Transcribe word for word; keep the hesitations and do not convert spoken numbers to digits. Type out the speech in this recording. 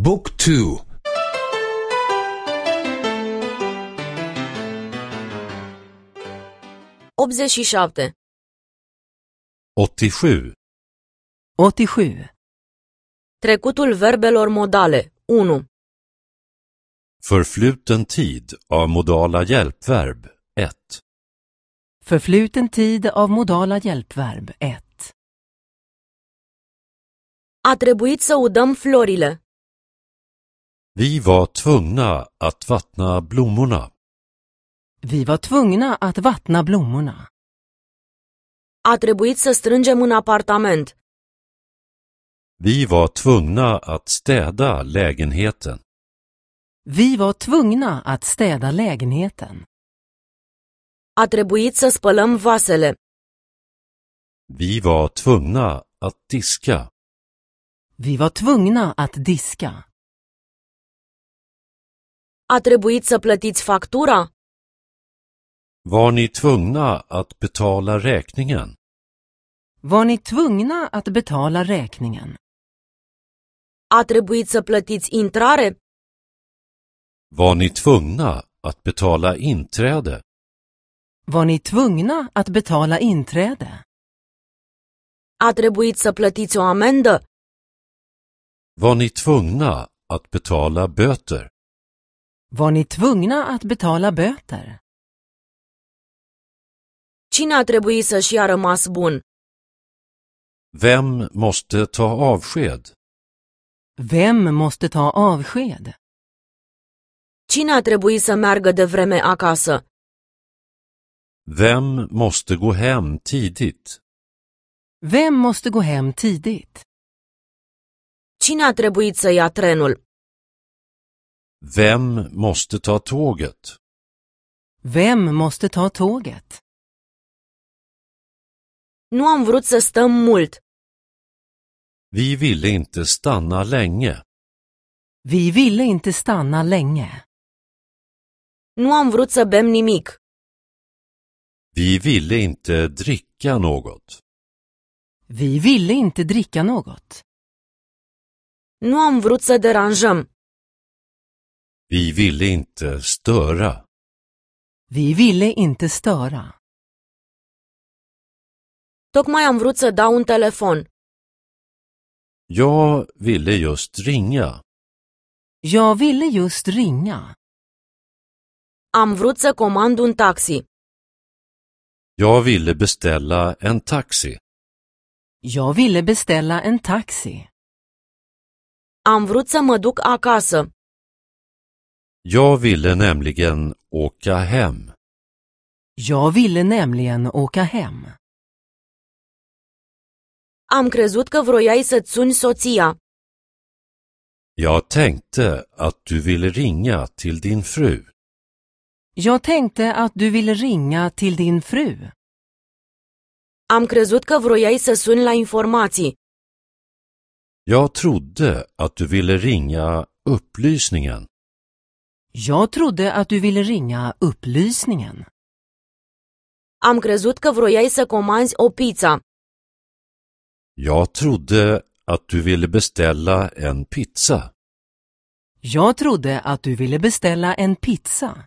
Book two. optzeci și șapte. åttiosju. åttiosju. Trecutul verbelor modale. unu. Förfluten tid av modala hjälpverb ett. Förfluten tid av modala hjälpverb ett. A trebuit să udăm florile. Vi var tvungna att vattna blommorna. Vi var tvungna att vattna blommorna. A trebuit să strângem în apartament. Vi var tvungna att städa lägenheten. Vi var tvungna att städa lägenheten. A trebuit să spălăm vasele. Vi var tvungna att diska. Vi var tvungna att diska. A trebuit să plătiți factura. Var ni tvungna att betala räkningen? Var ni tvungna att betala räkningen? A trebuit să plătiți intrare. Var ni tvungna att betala inträde? Var ni tvungna att betala inträde? A trebuit să plătiți o amendă. Var ni tvungna att betala böter? Var ni tvungna att betala böter? Cine a trebuit să-și ia rămas bun? Vem måste ta avsked? Vem måste ta avsked? Cine a trebuit să meargă de vreme acasă? Vem måste gå hem tidigt? Vem måste gå hem tidigt? Cine a trebuit să ia trenul? Vem måste ta tåget? Vem måste ta tåget? Nu am vrut să stăm mult. Vi ville inte stanna länge. Vi ville inte stanna länge. Nu am vrut să bem nimic. Vi ville inte dricka något. Vi ville inte dricka något. Nu am vrut să deranjăm. Vi ville inte störa. Vi ville inte störa. Tocmai am vrut să dau un telefon. Jag ville just ringa. Jag ville just ringa. Am vrut să comand un taxi. Jag ville beställa en taxi. Jag ville beställa en taxi. Am vrut să mă duc acasă. Jag ville nämligen åka hem. Jag ville nämligen åka hem. Am crezut că vroiai să-ți suni soția. Jag tänkte att du ville ringa till din fru. Jag tänkte att du ville ringa till din fru. Am crezut că vroiai să suni la informații. Jag trodde att du ville ringa upplysningen. Jag trodde att du ville ringa upplysningen. Am crezut că vroiai să comanzi o pizza. Jag trodde att du ville beställa en pizza. Jag trodde att du ville beställa en pizza.